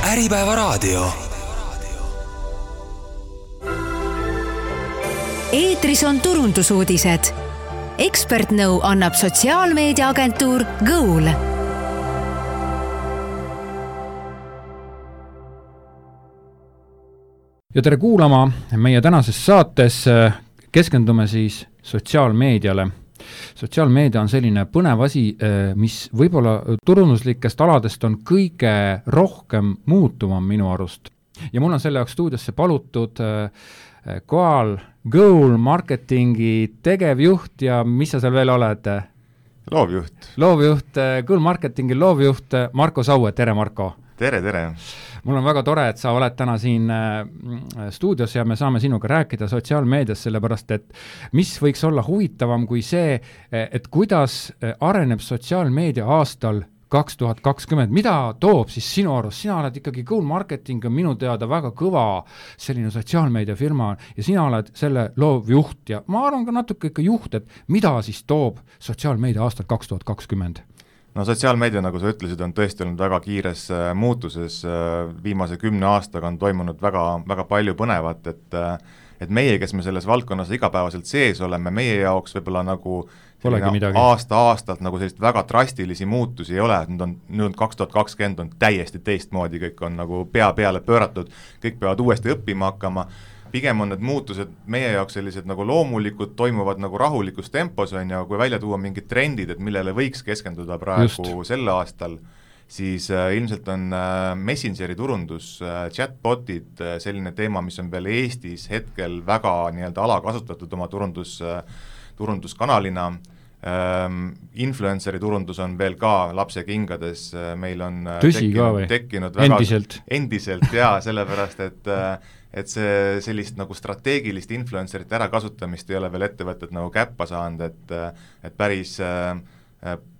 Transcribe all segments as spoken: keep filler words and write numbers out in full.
Äripäeva raadio. Eetris on turundusuudised. Ekspertnõu annab sotsiaalmeediaagentuur Goal. Ja tere kuulama, meie tänases saates keskendume siis sotsiaalmeediale. Sotsiaalmeedia on selline põnev asi, mis võib-olla turunduslikest aladest on kõige rohkem muutuma minu arust. Ja mul on selle jaoks stuudiosse palutud Goal, Goal marketingi tegevjuht ja mis sa seal veel oled? Loovjuht. Loovjuht, Goal marketingi loovjuht Marko Saue, tere Marko! Tere, tere! Mul on väga tore, et sa oled täna siin stuudios ja me saame sinuga rääkida sotsiaalmeedias, sellepärast et mis võiks olla huvitavam kui see, et kuidas areneb sotsiaalmeedia aastal kaks tuhat kakskümmend. Mida toob siis sinu arust? Sina oled ikkagi Goal Marketing on minu teada väga kõva selline sotsiaalmeedia firma ja sina oled selle loovjuht ja ma arvan ka natuke ikka juht, et mida siis toob sotsiaalmeedia aastal kaks tuhat kakskümmend? No sotsiaalmeedia, nagu sa ütlesid, on tõesti olnud väga kiires muutuses. Viimase kümne aastaga on toimunud väga, väga palju põnevat, et, et meie, kes me selles valdkonnas igapäevaselt sees oleme, meie jaoks võib-olla nagu aasta-aastalt nagu sellist väga drastilisi muutusi ei ole, et nüüd on, nüüd on kaks tuhat kakskümmend on täiesti teistmoodi, kõik on nagu pea peale pööratud, kõik peavad uuesti õppima hakkama. Pigem on need muutused meie jaoks sellised nagu loomulikud, toimuvad nagu rahulikus tempos on ja kui välja tuua mingid trendid, et millele võiks keskenduda praegu Just. Sel aastal, siis äh, ilmselt on äh, Messengeri turundus, äh, chatbotid, äh, selline teema, mis on veel Eestis hetkel väga nii-öelda alakasutatud oma turundus, äh, turunduskanalina. Ähm, influenceri turundus on veel ka lapse kingades, äh, meil on äh, Tõsi tekkinud, ka tekkinud väga, endiselt, endiselt jaa, sellepärast et äh, et see sellist nagu strateegilist influencerite ärakasutamist ei ole veel ettevõtted nagu käppa saanud, et, et päris äh,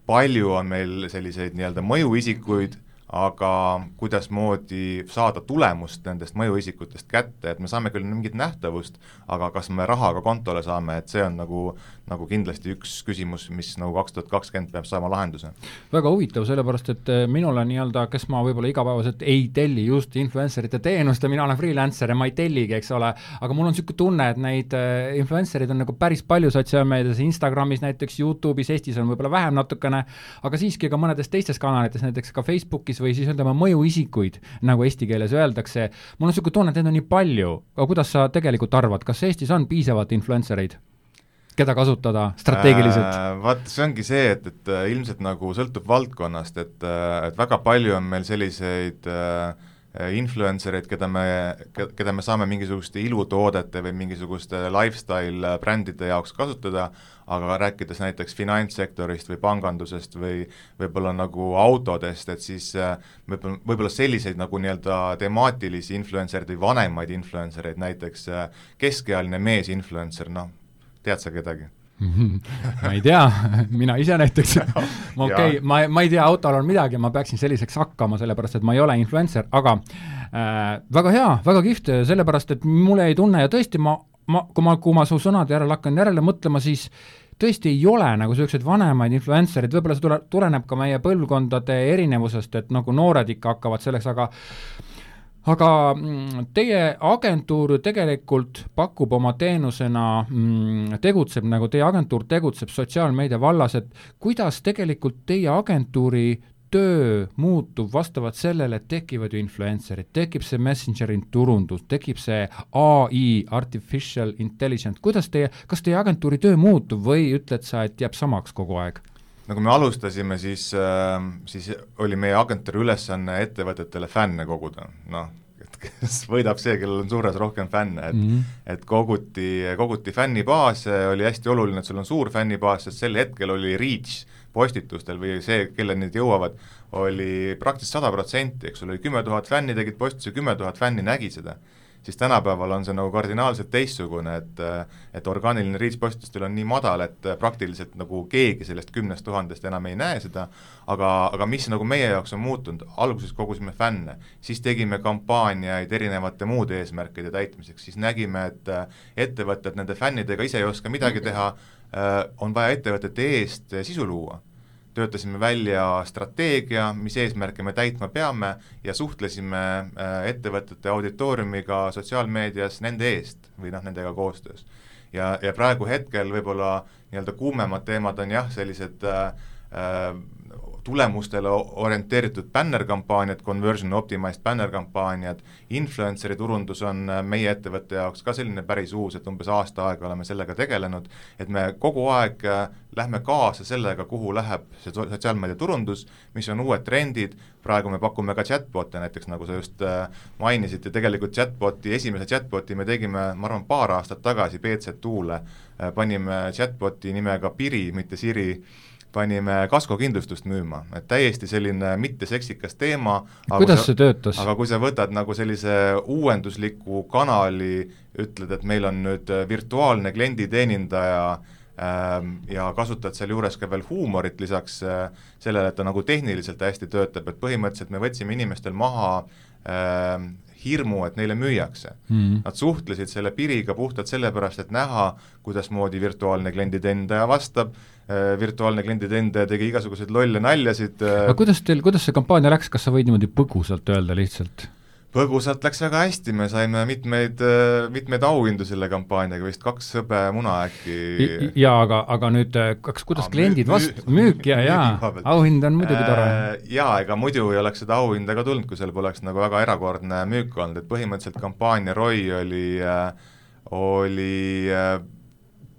palju on meil selliseid nii-öelda mõjuisikuid, aga kuidas moodi saada tulemust nendest mõjuisikutest kätte, et me saame küll mingit nähtavust, aga kas me rahaga kontole saame, et see on nagu, nagu kindlasti üks küsimus, mis nagu kaks tuhat kakskümmend peab saama lahenduse. Väga huvitav, sellepärast, et minule nii-öelda, kes ma võib-olla igapäevaselt ei telli just influencerite teenust ja mina olen freelancer ja ma ei telligi, eks ole, aga mul on siuke tunne, et neid influencerid on nagu päris palju sotsiaalmeedias, Instagramis näiteks, YouTube'is, Eestis on võib-olla vähem natukene, aga siiski ka mõnedes teistes kanalites, näiteks ka Facebookis või siis ütlema mõjuisikuid, nagu eesti keeles öeldakse. Mul on siuke tunne, et need on nii palju, aga kuidas sa tegelikult arvad, kas Eestis on piisavalt influencereid, keda kasutada strateegiliselt? Äh, vaat, see ongi see, et, et ilmselt nagu sõltub valdkonnast, et, et väga palju on meil selliseid äh, influencereid, keda me, keda me saame mingisuguste ilutoodete või mingisuguste lifestyle brändide jaoks kasutada, aga rääkides näiteks finantssektorist või pangandusest või võib-olla nagu autodest, et siis võib-olla, võib-olla selliseid nagu nii-öelda temaatilisi influencerid või vanemaid influencereid, näiteks keskealine mees influencer, noh, tead sa kedagi? ma ei tea, mina ise näiteks ma, okay, ma, ma ei tea, autol on midagi, ma peaksin selliseks hakkama, sellepärast et ma ei ole influencer, aga äh, väga hea, väga kihvt, sellepärast et mulle ei tunne ja tõesti ma, ma, kui ma, kui ma su sõnad järele hakkan järele mõtlema, siis tõesti ei ole nagu sellised vanemaid influencerid, võib-olla see tule, tuleneb ka meie põlvkondade erinevusest, et nagu noored ikka hakkavad selleks, aga Aga teie agentuur tegelikult pakub oma teenusena, tegutseb, nagu teie agentuur tegutseb sotsiaalmeedia vallas, et kuidas tegelikult teie agentuuri töö muutub vastavalt sellele, et tekivad ju influencerid, tekib see Messengeri turundus, tekib see A I, Artificial Intelligence, kuidas teie, kas teie agentuuri töö muutub või ütled sa, et jääb samaks kogu aeg? No kui me alustasime, siis, siis oli meie agentuuri ülesanne ettevõtetele fänne koguda, noh, et kes võidab see, kellel on suures rohkem fänne, et, mm-hmm. et koguti, koguti fännibaas, oli hästi oluline, et sul on suur fännibaas, sest sel hetkel oli reach postitustel või see, kelle need jõuavad, oli praktiliselt sada protsenti, eks oli kümme tuhat fänni tegid postuse, kümme tuhat fänni nägi seda. Siis tänapäeval on see nagu kardinaalselt teistsugune, et, et orgaaniline reach postitustel on nii madal, et praktiliselt nagu keegi sellest kümnest tuhandest enam ei näe seda, aga, aga mis nagu meie jaoks on muutunud, alguses kogusime fänne, siis tegime kampaaniaid erinevate muude eesmärkide täitmiseks, siis nägime, et ettevõtted nende fännidega ise ei oska midagi teha, on vaja ettevõtete eest sisu luua. töötasime välja strateegia, mis eesmärke me täitma peame ja suhtlesime ettevõtete auditooriumiga sotsiaalmeedias nende eest või noh, nendega koostöös. Ja, ja praegu hetkel võib-olla nii-öelda kuumemad teemad on jah, sellised äh, tulemustele orienteeritud banner-kampaaniad, conversion optimized banner-kampaaniad, influenceri turundus on meie ettevõtte jaoks ka selline päris uus, et umbes aasta aega oleme sellega tegelenud, et me kogu aeg lähme kaasa sellega, kuhu läheb see sotsiaalmeedia turundus, mis on uued trendid, praegu me pakume ka chatbot'e näiteks, nagu sa just mainisid, ja tegelikult chatbot'i, esimese chatbot'i me tegime, ma arvan, paar aastat tagasi B Z Tuule, panime chatbot'i nimega Piri, mitte Siri, panime kaskokindlustust müüma, et täiesti selline mitteseksikas teema. Kuidas see töötas? Aga kui sa võtad nagu sellise uuendusliku kanali, ütled, et meil on nüüd virtuaalne klienditeenindaja ähm, ja kasutad seal juures ka veel huumorit lisaks äh, sellele, et ta nagu tehniliselt hästi töötab, et põhimõtteliselt me võtsime inimestel maha äh, hirmu, et neile müüakse. Mm. Nad suhtlesid selle Piriga puhtalt sellepärast, et näha, kuidas moodi virtuaalne klienditeenindaja vastab, virtuaalne klienditeenindaja tegi igasuguseid lolle naljasid. Aga kuidas teil, kuidas see kampaania läks, kas sa võid niimoodi põgusalt öelda lihtsalt? Põgusalt läks väga hästi, me saime mitmeid, mitmeid auhindu selle kampaaniaga, vist kaks sõbe muna äkki. Jaa, aga, aga nüüd, kas, kuidas Aa, kliendid vast-, müük ja jaa, auhind on muidugi tore. Jaa, ega muidu ei oleks seda auhinda ka tulnud, kui seal poleks nagu väga erakordne müük olnud, et põhimõtteliselt kampaania R O I oli, oli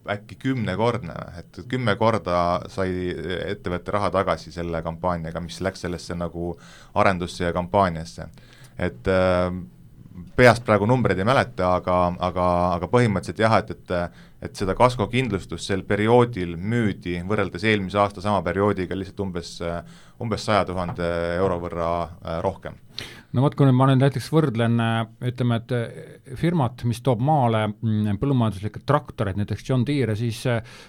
äkki kümnekordne, et kümme korda sai ettevõtte raha tagasi selle kampaaniaga, mis läks sellesse nagu arendusse ja kampaaniasse. Et äh, peast praegu numbreid ei mäleta, aga, aga, aga põhimõtteliselt jah, et, et, et seda kaskokindlustust sel perioodil müüdi võrreldes eelmise aasta sama perioodiga lihtsalt umbes, umbes saja tuhande euro võrra rohkem. No vot, kui nüüd ma nüüd näiteks võrdlen, ütleme, et firmat, mis toob maale põllumajanduslikud traktorid, näiteks John Deere, siis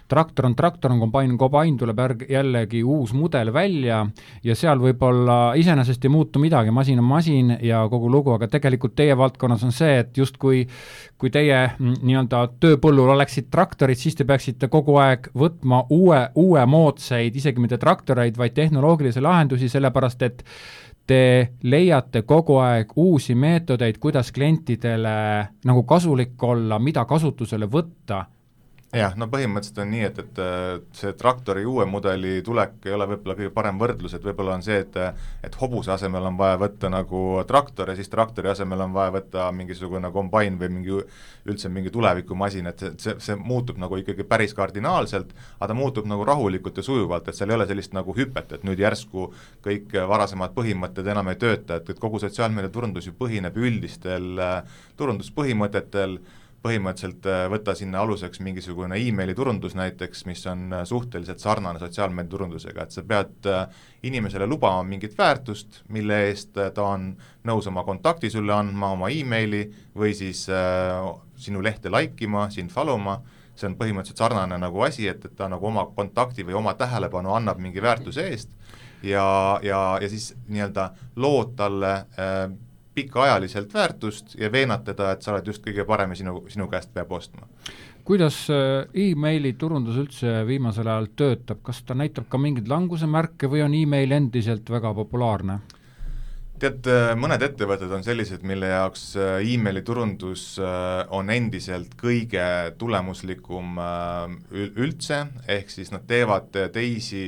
traktor on traktor, on kombain, kombain tuleb jällegi uus mudel välja ja seal võib-olla iseenesest ei muutu midagi, masin on masin ja kogu lugu, aga tegelikult teie valdkonnas on see, et just kui, kui teie nii-öelda tööpõllul oleksid traktorid, siis te peaksite kogu aeg võtma uue, uue moodsaid, isegi mitte traktoreid, vaid tehnoloogilisi lahendusi, sellepärast et te leiate kogu aeg uusi meetodeid, kuidas klientidele nagu kasulik olla, mida kasutusele võtta. Jah, no põhimõtteliselt on nii, et, et see traktori uue mudeli tulek ei ole võib-olla kõige parem võrdlus, et võib-olla on see, et, et hobuse asemel on vaja võtta nagu traktor ja siis traktori asemel on vaja võtta mingisugune kombain või mingi, üldse mingi tulevikumasin, et see, see muutub nagu ikkagi päris kardinaalselt, aga ta muutub nagu rahulikult ja sujuvalt, et seal ei ole sellist nagu hüpet, et nüüd järsku kõik varasemad põhimõtted enam ei tööta, et, et kogu sotsiaalmeedia turundus ju põhineb üldistel turunduspõhimõtetel, põhimõtteliselt võtta sinna aluseks mingisugune e-maili turundus näiteks, mis on suhteliselt sarnane sotsiaalmeedia turundusega, et sa pead inimesele lubama mingit väärtust, mille eest ta on nõus oma kontakti sulle andma, oma e-maili või siis äh, sinu lehte laikima, sind followma, see on põhimõtteliselt sarnane nagu asi, et, et ta nagu oma kontakti või oma tähelepanu annab mingi väärtuse eest ja, ja, ja siis nii-öelda lood talle äh, pikaajaliselt väärtust ja veenatada, et sa oled just kõige parem ja sinu, sinu käest peab ostma. Kuidas e-maili turundus üldse viimasel ajal töötab? Kas ta näitab ka mingid languse märke või on e-mail endiselt väga populaarne? Tead, mõned ettevõtted on sellised, mille jaoks e-maili turundus on endiselt kõige tulemuslikum üldse, ehk siis nad teevad teisi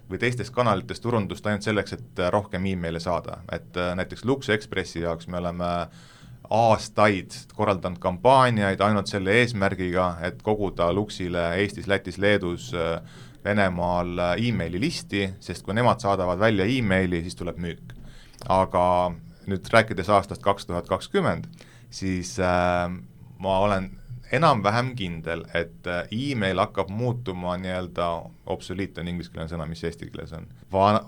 või teistest kanalitest turundust ainult selleks, et rohkem e-maili saada. Et näiteks Lux Expressi jaoks me oleme aastaid korraldanud kampaaniaid ainult selle eesmärgiga, et koguda Luxile Eestis, Lätis, Leedus, Venemaal e-maili listi, sest kui nemad saadavad välja e-maili, siis tuleb müük. Aga nüüd rääkides aastast kaks tuhat kakskümmend, siis äh, ma olen enam-vähem kindel, et e-mail hakkab muutuma nii-öelda obsoliit on ingliskeelne sõna, mis eesti keeles on, Van,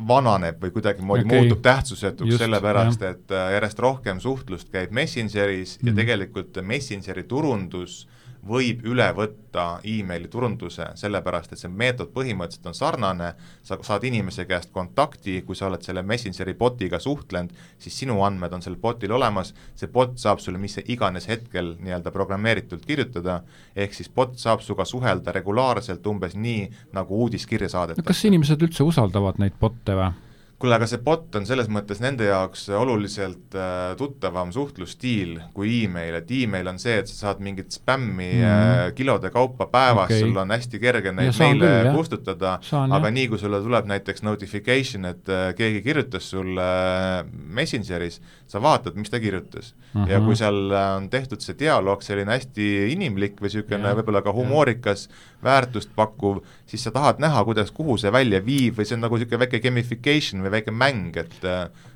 vananeb või kuidagi moodi okay. muutub tähtsusetuks sellepärast, et järjest rohkem suhtlust käib Messengeris mm. ja tegelikult Messengeri turundus võib üle võtta emaili turunduse, sellepärast et see meetod põhimõtteliselt on sarnane, sa saad inimese käest kontakti, kui sa oled selle Messengeri botiga suhtlenud, siis sinu andmed on sellel botil olemas, see bot saab sulle mis iganes hetkel nii-öelda programmeeritult kirjutada, ehk siis bot saab suga suhelda regulaarselt umbes nii, nagu uudiskirja saadetakse. No kas inimesed üldse usaldavad neid botte või? Kuule, aga see bot on selles mõttes nende jaoks oluliselt äh, tuttavam suhtlusstiil kui email, et email on see, et sa saad mingit spämmi mm. äh, kilode kaupa päevas, okay. Sul on hästi kerge neid meile küll, kustutada, saan, aga jah. Nii kui sulle tuleb näiteks notification, et äh, keegi kirjutas sulle äh, Messengeris, sa vaatad, mis ta kirjutas. Uh-huh. Ja kui seal on tehtud see dialoog, selline hästi inimlik või niisugune yeah. võib-olla ka humoorikas, väärtust pakkuv, siis sa tahad näha, kuidas, kuhu see välja viib või see on nagu niisugune väike gamification või väike mäng, et,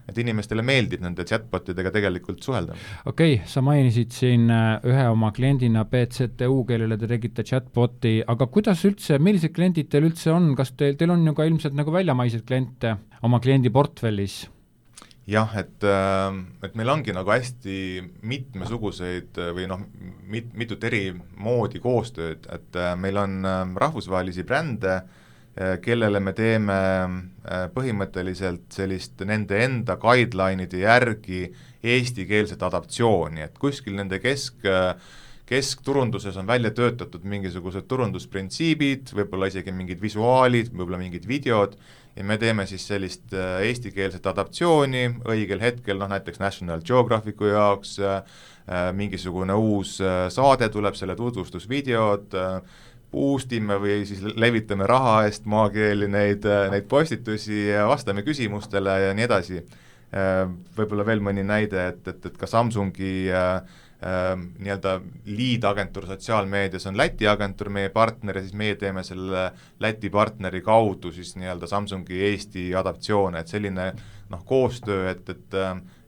et inimestele meeldib nende chatbotidega tegelikult suhelda. Okei, okay, sa mainisid siin ühe oma kliendina B C T U, kellele te tegite chatboti, aga kuidas üldse, millised kliendid teil üldse on, kas teil, teil on ju ka ilmselt nagu väljamaiseid kliente oma kliendi portfellis? Jah, et, et meil ongi nagu hästi mitmesuguseid või noh, mit, mitut eri moodi koostööd, et meil on rahvusvahelisi brände, kellele me teeme põhimõtteliselt sellist nende enda guideline'ide järgi eestikeelset adaptsiooni, et kuskil nende kesk, keskturunduses on välja töötatud mingisugused turundusprintsiibid, võib-olla isegi mingid visuaalid, võib-olla mingid videod, ja me teeme siis sellist eestikeelset adaptsiooni õigel hetkel, noh näiteks National Geographicu jaoks, mingisugune uus saade tuleb, selle tutvustusvideod, boostime või siis levitame raha eest maakeeli neid, neid postitusi ja vastame küsimustele ja nii edasi. Võib-olla veel mõni näide, et, et, et ka Samsungi äh, nii-öelda lead-agentuur sotsiaalmeedias on Läti agentuur meie partner ja siis meie teeme selle Läti partneri kaudu siis nii-öelda Samsungi Eesti adaptsioone, et selline noh, koostöö, et, et,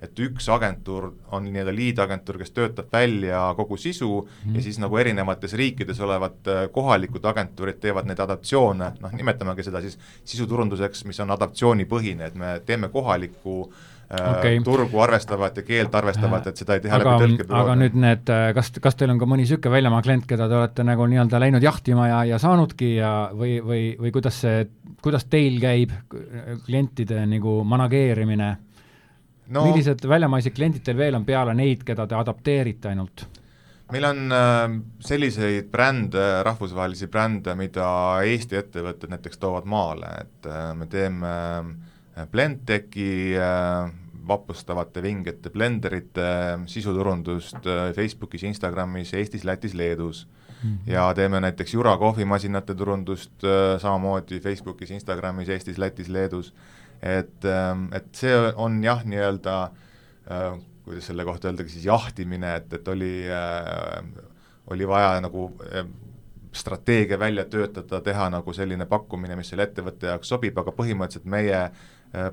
et üks agentuur on nii-öelda lead-agentuur, kes töötab välja kogu sisu mm. ja siis nagu erinevates riikides olevad kohalikud agentuurid teevad neid adaptsioone, noh nimetamegi seda siis sisuturunduseks, mis on adaptsioonipõhine, et me teeme kohaliku Okay. turgu arvestavat ja keelt arvestavat, et seda ei teha aga, läbi tõlkebüroode. Aga nüüd need, kas, kas teil on ka mõni süke väljamaa klient, keda te olete nagu nii-öelda läinud jahtima ja, ja saanudki ja või, või, või kuidas see, kuidas teil käib klientide nagu manageerimine? No, millised väljamaised kliendid teil veel on peale neid, keda te adapteerite ainult? Meil on äh, selliseid brände, rahvusvahelisi brände, mida Eesti ettevõtted näiteks toovad maale, et äh, me teeme äh, Blendtechi äh, vapustavate vingete blenderite sisuturundust äh, Facebookis, Instagramis, Eestis, Lätis, Leedus mm-hmm. ja teeme näiteks Jura kohvimasinate turundust äh, samamoodi Facebookis, Instagramis, Eestis, Lätis, Leedus, et, äh, et see on jah, nii-öelda äh, kuidas selle kohta öeldagi siis jahtimine, et, et oli, äh, oli vaja nagu äh, strateegia välja töötada, teha nagu selline pakkumine, mis selle ettevõtte jaoks sobib, aga põhimõtteliselt meie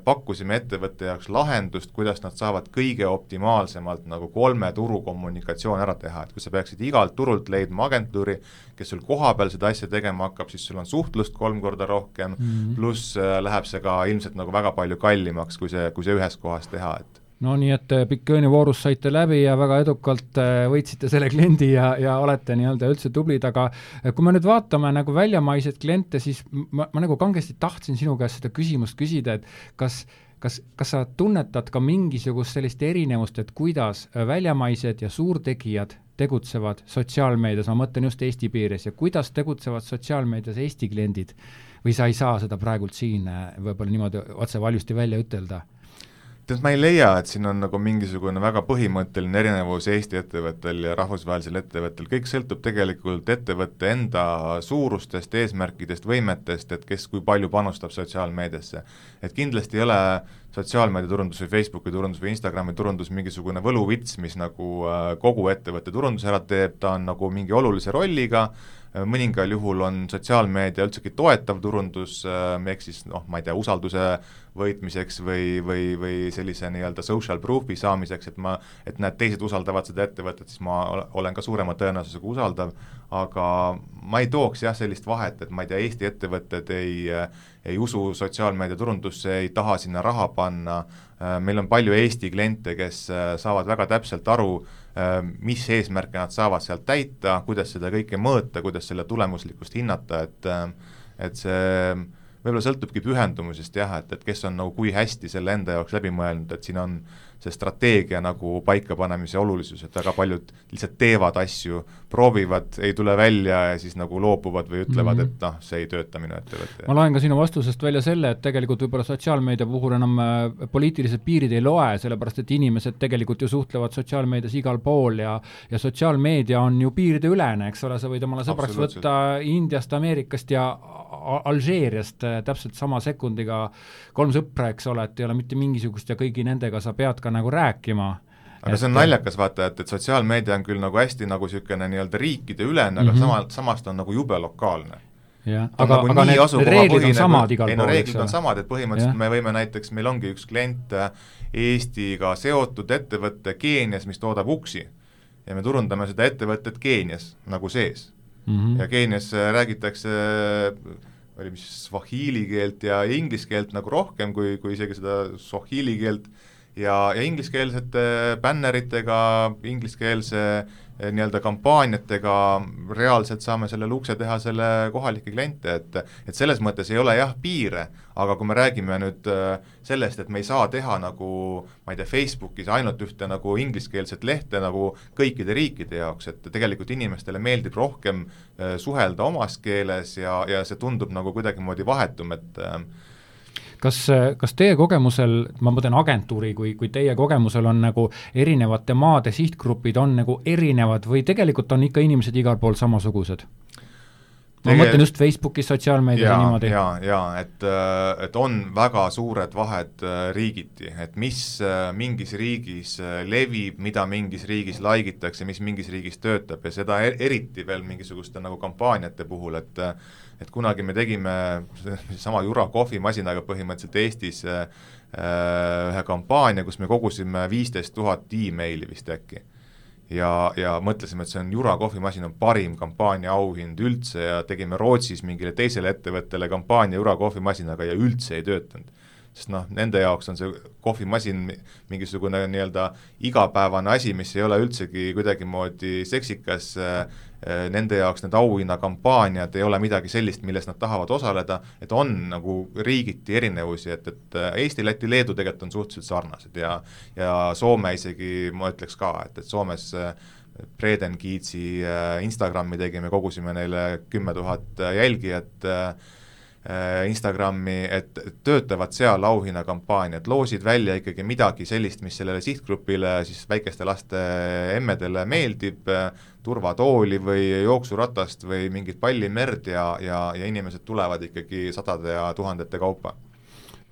pakkusime ettevõtte jaoks lahendust, kuidas nad saavad kõige optimaalsemalt nagu kolme turu kommunikatsioon ära teha, et kui sa peaksid igalt turult leidma agentuuri, kes sul kohapeal seda asja tegema hakkab, siis sul on suhtlust kolm korda rohkem mm-hmm. pluss läheb see ka ilmselt nagu väga palju kallimaks, kui see, kui see ühes kohas teha, et no nii, et Pikkööni voorus saite läbi ja väga edukalt võitsite selle kliendi ja, ja olete nii-öelda üldse tublid, aga kui me nüüd vaatame nagu väljamaiseid kliente, siis ma, ma nagu kangesti tahtsin sinu käest seda küsimust küsida, et kas, kas, kas sa tunnetad ka mingisugust sellist erinevust, et kuidas väljamaised ja suurtegijad tegutsevad sotsiaalmeedias, ma mõtlen just Eesti piires, ja kuidas tegutsevad sotsiaalmeedias Eesti kliendid või sa ei saa seda praegult siin võib-olla niimoodi otse valjusti välja ütelda? Tead, ma ei leia, et siin on nagu mingisugune väga põhimõtteline erinevus Eesti ettevõttel ja rahvusvahelisel ettevõttel, kõik sõltub tegelikult ettevõtte enda suurustest, eesmärkidest, võimetest, et kes kui palju panustab sotsiaalmeediasse. Et kindlasti ei ole sotsiaalmeedia turundus või Facebooki turundus või Instagrami turundus mingisugune võluvits, mis nagu kogu ettevõtte turundus ära teeb, ta on nagu mingi olulise rolliga, mõningal juhul on sotsiaalmeedia üldsegi toetav turundus, ehk siis noh, ma ei tea, usalduse võitmiseks või, või, või sellise nii-öelda social proof'i saamiseks, et ma, et näed, teised usaldavad seda ettevõtet, siis ma olen ka suurema tõenäosusega usaldav, aga ma ei tooks jah sellist vahet, et ma ei tea, Eesti ettevõtted ei, ei usu sotsiaalmeedia turundusse, ei taha sinna raha panna, meil on palju Eesti kliente, kes saavad väga täpselt aru, mis eesmärke nad saavad sealt täita, kuidas seda kõike mõõta, kuidas selle tulemuslikkust hinnata, et et see võib-olla sõltubki pühendumusest jah, et, et kes on nagu kui hästi selle enda jaoks läbi mõelnud, et siin on see strateegia nagu paikapanemise olulisus, et väga paljud lihtsalt teevad asju, proovivad, ei tule välja ja siis nagu loobuvad või ütlevad, mm -hmm. et noh, see ei tööta minu ettevõtte. Ma loen ka sinu vastusest välja selle, et tegelikult võib-olla sotsiaalmeedia puhul enam poliitilised piirid ei loe, sellepärast et inimesed tegelikult ju suhtlevad sotsiaalmeedias igal pool ja, ja sotsiaalmeedia on ju piiride ülene, eks ole, sa võid omale sõbraks võtta Indiast, Ameerikast ja Alžeeriast täpselt sama sekundiga kolm sõpra, eks ole, et ei ole mitte mingisugust ja kõigi nendega sa pead ka nagu rääkima. Aga et see on naljakas vaata, et, et sotsiaalmeedia on küll nagu hästi nagu niisugune nii-öelda riikide ülene, aga mm -hmm. sama, samast on nagu jube lokaalne. Ja, aga, nagu aga need reeglid on samad igal pool. Ei no reeglid on samad, et põhimõtteliselt ja. me võime näiteks, meil ongi üks klient Eestiga seotud ettevõtte Keenias, mis toodab uksi ja me turundame seda ettevõtet Keenias nagu sees. Mm -hmm. ja Keenias räägitakse oli mis swahili keelt ja inglise keelt nagu rohkem kui, kui isegi seda swahili keelt ja, ja ingliskeelsete bänneritega, ingliskeelse nii-öelda kampaaniatega reaalselt saame selle ukse teha selle kohalike kliente, et, et selles mõttes ei ole jah piire, aga kui me räägime nüüd sellest, et me ei saa teha nagu, ma ei tea, Facebookis ainult ühte nagu ingliskeelset lehte nagu kõikide riikide jaoks, et tegelikult inimestele meeldib rohkem suhelda omas keeles ja, ja see tundub nagu kuidagimoodi vahetum, et Kas, kas teie kogemusel, ma mõtlen agentuuri, kui, kui teie kogemusel on nagu erinevate maade sihtgrupid on nagu erinevad või tegelikult on ikka inimesed igal pool samasugused? Ma Tege... mõtlen just Facebookis, sotsiaalmeedias ja niimoodi. Jaa, jaa, et, et on väga suured vahed riigiti, et mis mingis riigis levib, mida mingis riigis laigitakse, mis mingis riigis töötab ja seda eriti veel mingisuguste nagu kampaaniate puhul, et et kunagi me tegime sama Jura kohvimasinaga põhimõtteliselt Eestis äh, ühe kampaania, kus me kogusime viisteist tuhat e-maili vist äkki. Ja, ja mõtlesime, et see on Jura kohvimasin on parim kampaania auhind üldse ja tegime Rootsis mingile teisele ettevõttele kampaania Jura kohvimasinaga ja üldse ei töötanud. Sest noh, nende jaoks on see kohvimasin mingisugune nii-öelda igapäevane asi, mis ei ole üldsegi kuidagimoodi seksikas, nende jaoks need auhinnakampaaniad ei ole midagi sellist, milles nad tahavad osaleda, et on nagu riigiti erinevusi, et, et Eesti, Läti, Leedu tegelikult on suhteliselt sarnased ja, ja Soome isegi, ma ütleks ka, et, et Soomes Breden Kiitsi Instagrami tegime, kogusime neile kümme tuhat jälgijat Instagrami, et töötavad seal auhinnakampaaniad, loosid välja ikkagi midagi sellist, mis sellele sihtgrupile, siis väikeste laste emmedele meeldib, turvatooli või jooksuratast või mingit pallimerd ja, ja, ja inimesed tulevad ikkagi sadade ja tuhandete kaupa.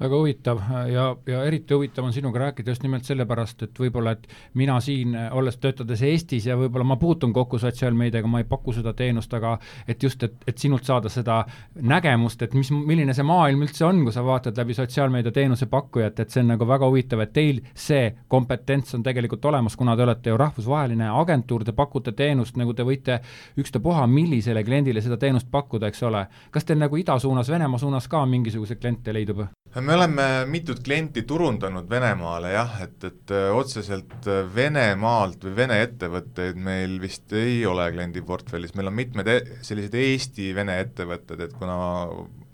Väga huvitav ja, ja eriti huvitav on sinuga rääkida just nimelt sellepärast, et võib-olla, et mina siin, olles töötades Eestis ja võib-olla ma puutun kokku sotsiaalmeediaga, ma ei paku seda teenust, aga et just, et, et sinult saada seda nägemust, et mis, milline see maailm üldse on, kui sa vaatad läbi sotsiaalmeedia teenuse pakkujat, et see on nagu väga huvitav, et teil see kompetents on tegelikult olemas, kuna te olete ju rahvusvaheline agentuur, te pakute teenust, nagu te võite ükstapuha millisele kliendile seda teenust pakkuda, eks ole. Kas teil nagu ida suunas, Venemaa suunas ka mingisuguse kliente leidub? Me oleme mitut klienti turundanud Venemaale jah, et, et otseselt Venemaalt või Vene ettevõtteid meil vist ei ole kliendiportfellis, meil on mitmed sellised Eesti-Vene ettevõtted, et kuna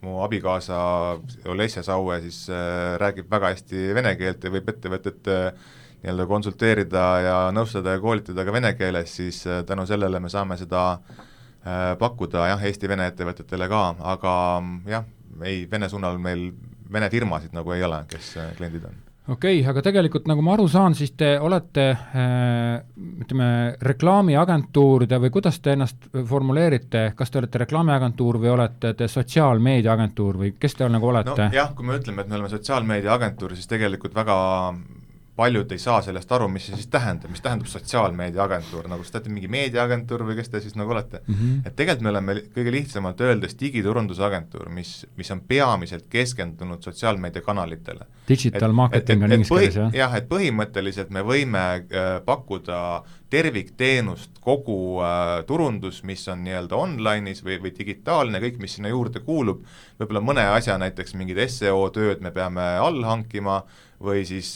mu abikaasa Olesja Saue siis räägib väga hästi vene keelt ja võib ettevõtet nii-öelda konsulteerida ja nõustada ja koolitada ka vene keeles, siis tänu sellele me saame seda pakkuda jah, Eesti-Vene ettevõtetele ka, aga jah, ei, Vene suunal meil Vene firmasid nagu ei ole, kes kliendid on. Okei, okay, aga tegelikult nagu ma aru saan, siis te olete äh, ütleme, reklaamiagentuuride või kuidas te ennast formuleerite, kas te olete reklaamiagentuur või olete te sotsiaalmeediaagentuur või kes te nagu olete? No jah, kui me ütleme, et me oleme sotsiaalmeediaagentuur, siis tegelikult väga paljud ei saa sellest aru, mis see siis tähendab, mis tähendab sotsiaalmeediaagentuur, nagu seda mingi meediaagentuur või kes te siis nagu olete. Mm -hmm. Et tegelikult me oleme kõige lihtsamalt öeldes digiturundusagentuur, mis, mis on peamiselt keskendunud sotsiaalmeediakanalitele. Digital et, marketing et, et, on inglise keeles, jah? Jah, et põhimõtteliselt me võime äh, pakkuda tervikteenust, kogu äh, turundus, mis on nii-öelda online'is või, või digitaalne, kõik, mis sinna juurde kuulub, võib-olla mõne asja, näiteks mingid S E O tööd me peame all hankima, või siis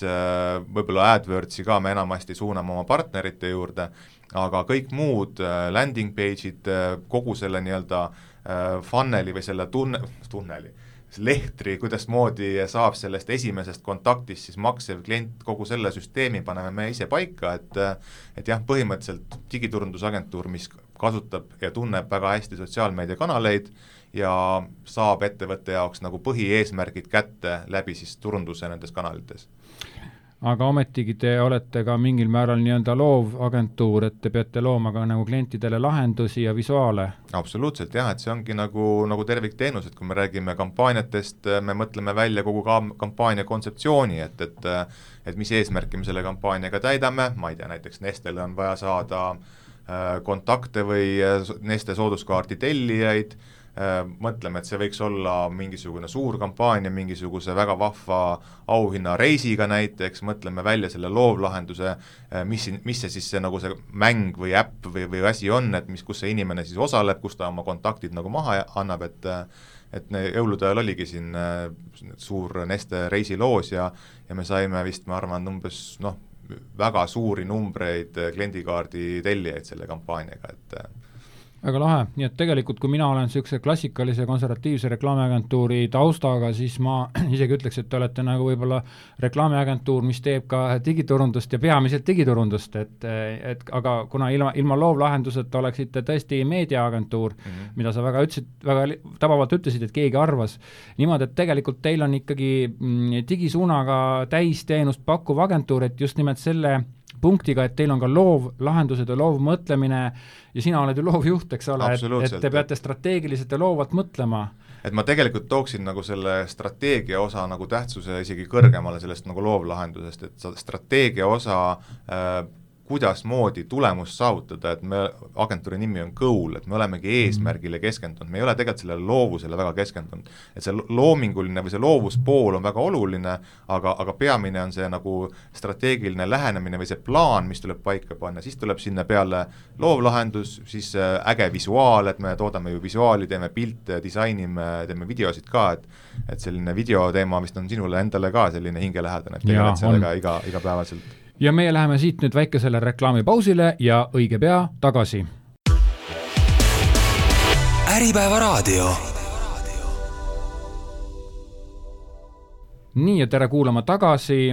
võib-olla AdWordsi ka me enamasti suuname oma partnerite juurde, aga kõik muud landing page'id, kogu selle nii-öelda funneli või selle tunne, tunneli, lehtri, kuidas moodi saab sellest esimesest kontaktist siis maksev klient, kogu selle süsteemi paneme me ise paika, et et jah, põhimõtteliselt digiturundusagentuur, mis kasutab ja tunneb väga hästi sotsiaalmeediakanaleid ja saab ettevõtte jaoks nagu põhieesmärgid kätte läbi siis turunduse nendes kanalites. Aga ometigi te olete ka mingil määral nii-öelda loov agentuur, et te peate looma ka nagu klientidele lahendusi ja visuaale. Absoluutselt jah, et see ongi nagu, nagu tervikteenus, et kui me räägime kampaaniatest, me mõtleme välja kogu ka kampaania kontseptsiooni, et, et, et mis eesmärki me selle kampaaniaga täidame, ma ei tea, näiteks Nestele on vaja saada kontakte või Neste sooduskaardi tellijaid, mõtleme, et see võiks olla mingisugune suur kampaania, mingisuguse väga vahva auhinna reisiga näiteks, mõtleme välja selle loovlahenduse, mis, mis see siis see, nagu see mäng või äpp või, või asi on, et mis, kus see inimene siis osaleb, kus ta oma kontaktid nagu maha annab, et et jõulude ajal oligi siin suur Neste reisiloos ja, ja me saime vist, ma arvan, umbes noh, väga suuri numbreid kliendikaardi tellijaid selle kampaaniaga, et väga lahe, nii et tegelikult kui mina olen niisuguse klassikalise konservatiivse reklaamiagentuuri taustaga, siis ma isegi ütleks, et te olete nagu võib-olla reklaamiagentuur, mis teeb ka digiturundust ja peamiselt digiturundust, et, et aga kuna ilma, ilma loovlahenduseta oleksite tõesti meediaagentuur, mm -hmm. mida sa väga ütlesid, väga tabavalt ütlesid, et keegi arvas niimoodi, et tegelikult teil on ikkagi digisuunaga täisteenust pakkuv agentuur, et just nimelt selle punktiga, et teil on ka loovlahendused ja loovmõtlemine ja sina oled ju loovjuht, eks ole, et, et te peate strateegiliselt ja loovalt mõtlema. Et ma tegelikult tooksin nagu selle strateegia osa nagu tähtsuse isegi kõrgemale sellest nagu loovlahendusest, et strateegia osa äh, kuidas moodi tulemust saavutada, et me, agentuuri nimi on Goal, et me olemegi eesmärgile keskendunud, me ei ole tegelikult sellele loovusele väga keskendunud, et see loominguline või see loovuspool on väga oluline, aga, aga peamine on see nagu strateegiline lähenemine või see plaan, mis tuleb paika panna, siis tuleb sinna peale loovlahendus, siis äge visuaal, et me toodame ju visuaali, teeme pilte, disainime, teeme videosid ka, et et selline videoteema vist on sinule endale ka selline hingelähedane, et tegeled sellega iga, igapäevaselt. Ja meie läheme siit nüüd väikesele reklaamipausile ja õige pea tagasi. Äripäeva raadio. Nii ja tere kuulama tagasi.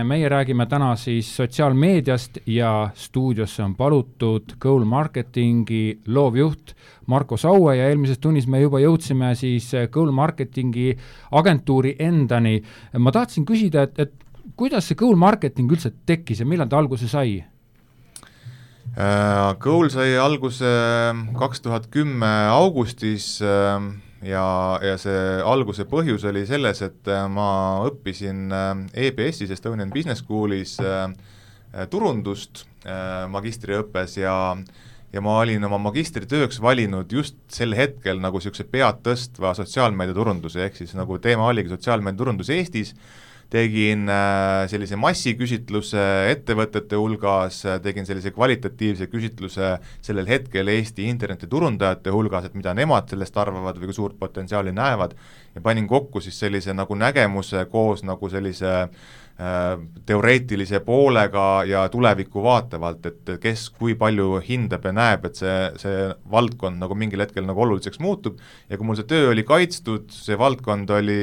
Meie räägime täna siis sotsiaalmeediast ja stuudiosse on palutud Goal Marketingi loovjuht Marko Saue ja eelmises tunnis me juba jõudsime siis Goal Marketingi agentuuri endani. Ma tahtsin küsida, et, et kuidas see Goal Marketing üldse tekkis ja millal ta alguse sai? Uh, Goal sai alguse kaks tuhat kümme augustis uh, ja, ja see alguse põhjus oli selles, et ma õppisin E B S-is Estonian Business Schoolis uh, turundust uh, magistriõppes ja ja ma olin oma magistritööks valinud just sel hetkel nagu niisuguse pead tõstva sotsiaalmeediaturunduse, ehk siis nagu teema oligi sotsiaalmeediaturundus Eestis, tegin sellise massiküsitluse ettevõtete hulgas, tegin sellise kvalitatiivse küsitluse sellel hetkel Eesti internetiturundajate hulgas, et mida nemad sellest arvavad või kui suurt potentsiaali näevad, ja panin kokku siis sellise nagu nägemuse koos nagu sellise teoreetilise poolega ja tulevikku vaatavalt, et kes kui palju hindab ja näeb, et see, see valdkond nagu mingil hetkel nagu oluliseks muutub ja kui mul see töö oli kaitstud, see valdkond oli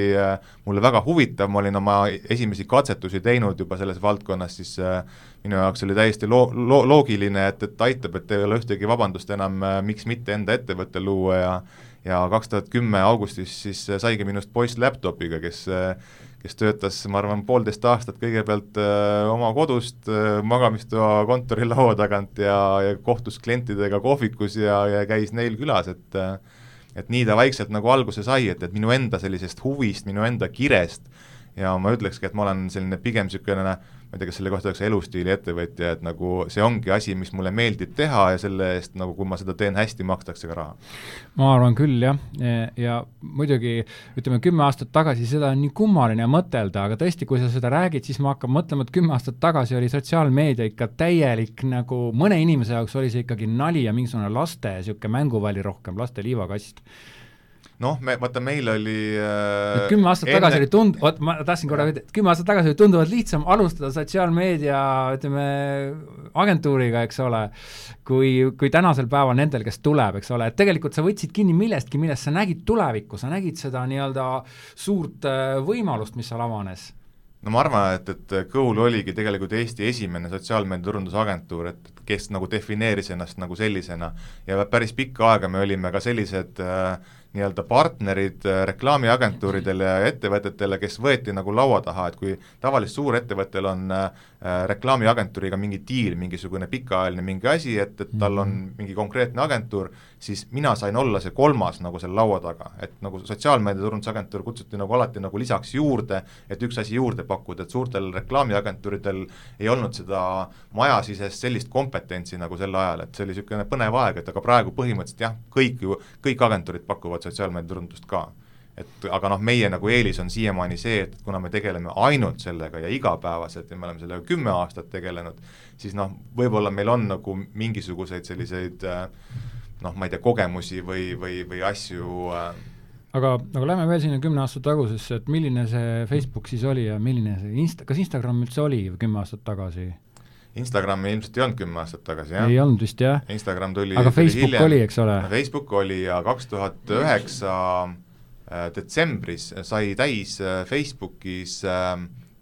mulle väga huvitav, ma olin oma esimesi katsetusi teinud juba selles valdkonnas, siis minu jaoks oli täiesti lo- lo- loogiline, et, et aitab, et ei ole ühtegi vabandust enam, miks mitte enda ettevõtte luua ja ja kaks tuhat kümme augustis siis saigi minust poiss laptopiga, kes kes töötas, ma arvan, poolteist aastat kõigepealt öö, oma kodust öö, magamistoa kontorilaua tagant ja, ja kohtus klientidega kohvikus ja, ja käis neil külas, et et nii ta vaikselt nagu alguse sai, et, et minu enda sellisest huvist, minu enda kirest ja ma ütlekski, et ma olen selline pigem niisugune, ma ei tea, kas selle kohta oleks elustiili ettevõtja, et nagu see ongi asi, mis mulle meeldib teha ja selle eest, nagu kui ma seda teen hästi, makstakse ka raha. Ma arvan küll, jah. Ja muidugi, ütleme, kümme aastat tagasi seda on nii kummaline mõtelda, aga tõesti, kui sa seda räägid, siis ma hakkan mõtlema, et kümme aastat tagasi oli sotsiaalmeedia ikka täielik, nagu mõne inimese jaoks oli see ikkagi nali ja mingisugune laste, niisugune mänguvali rohkem, laste liivakast. noh, me, vaata meil oli äh, kümme aastat enne... tagasi oli tund-, oot, ma tahtsin korra öelda, et kümme aastat tagasi oli tunduvalt lihtsam alustada sotsiaalmeedia, ütleme, agentuuriga, eks ole, kui, kui tänasel päeval nendel, kes tuleb, eks ole, et tegelikult sa võtsid kinni millestki, millest sa nägid tulevikku, sa nägid seda nii-öelda suurt võimalust, mis seal avanes. No ma arvan, et, et Goal oligi tegelikult Eesti esimene sotsiaalmeedia turundusagentuur, et kes nagu defineeris ennast nagu sellisena ja päris pikka aega me olime ka sellised äh, nii-öelda partnerid reklaamiagentuuridele ja ettevõtetele, kes võeti nagu laua taha, et kui tavaliselt suurettevõttel on äh, reklaamiagentuuriga mingi diil, mingisugune pikaajaline mingi asi, et, et tal on mingi konkreetne agentuur, siis mina sain olla see kolmas nagu selle laua taga, et nagu sotsiaalmeedia turundusagentuur kutsuti nagu alati nagu lisaks juurde, et üks asi juurde pakkuda, et suurtel reklaamiagentuuridel ei olnud seda majasisest sellist kompetentsi nagu sel ajal, et see oli niisugune põnev aeg, et aga praegu põhimõtteliselt jah, kõik ju, kõik agentuurid pakuvad sotsiaalmeedia turundust ka. Et aga noh, meie nagu eelis on siiamaani see, et kuna me tegeleme ainult sellega ja igapäevaselt ja me oleme sellega kümme aastat tegelenud, siis noh, võib-olla meil on nagu mingisuguseid selliseid noh, ma ei tea, kogemusi või, või, või asju aga, aga lähme veel sinna kümne aastat tagusesse, et milline see Facebook siis oli ja milline see Insta, kas Instagram üldse oli kümme aastat tagasi? Instagrami ilmselt ei olnud kümme aastat tagasi, jah? Ei olnud vist, jah. Instagram tuli aga Facebook hiljem. oli, eks ole? Facebook oli ja kaks tuhat üheksa detsembris sai täis Facebookis